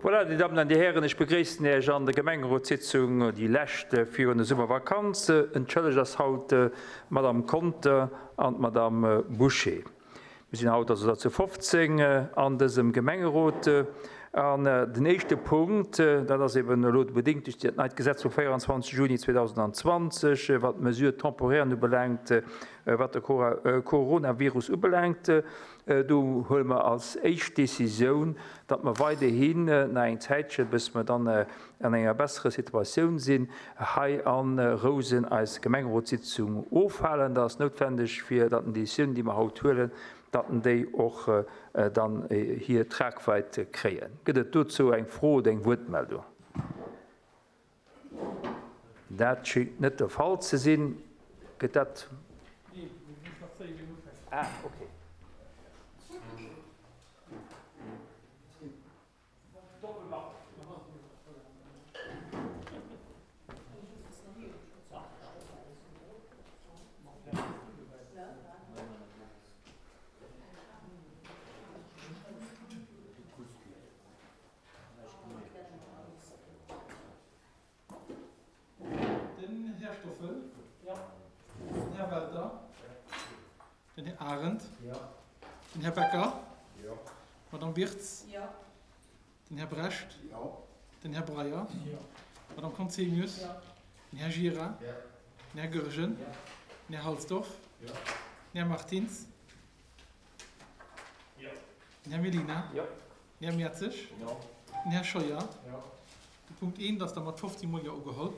Voilà, Dir Dammen an Dir Hären, ech begréissen Iech an der Gemengerotssitzung, déi lescht virun der Summervakanz. Entschëllegt ass haut d'Madame Conter an d'Madame Bouché. Mir sinn haut also der zu 15 an dësem Gemengerot. An den éischte Punkt, dat ass eben elo bedéngt duerch dat neit Gesetz vum 24 Juni 2020, wat d'Mesures temporaires ubelaangt, wat de Coronavirus ubelaangt. Do huele mer als éischt Décisioun, datt mer weiderhin nach eng Zäitche, bis mer dann an enger besserer Situatioun sinn, hei a Rousen eis Gemengerotssitzung ofhalen. Dat ass noutwendeg, fir datt den Décisioun, déi mer haut huelen, datt déi och dann hir Tragweid kréien. Gëtt et dozou eng Fro oder eng Wuertmeldung? Dat schéngt net de Fall ze sinn. Gëtt dat. Ah, okay. Den Här Stoffel. Den Här Welter. Den Här Arendt. Den Här Becker. D'Madame Birtz. Den Här Brecht. Den Här Breyer. D'Madame Conzemius. Den Här Gira. Den Här Goergen. Den Här Halsdorf. Den Här Martins. Den Här Mellina. Den Här Mertzig. Den Här Scheuer. De Punkt 1 ass da mat 15 mol Jo ugeholl.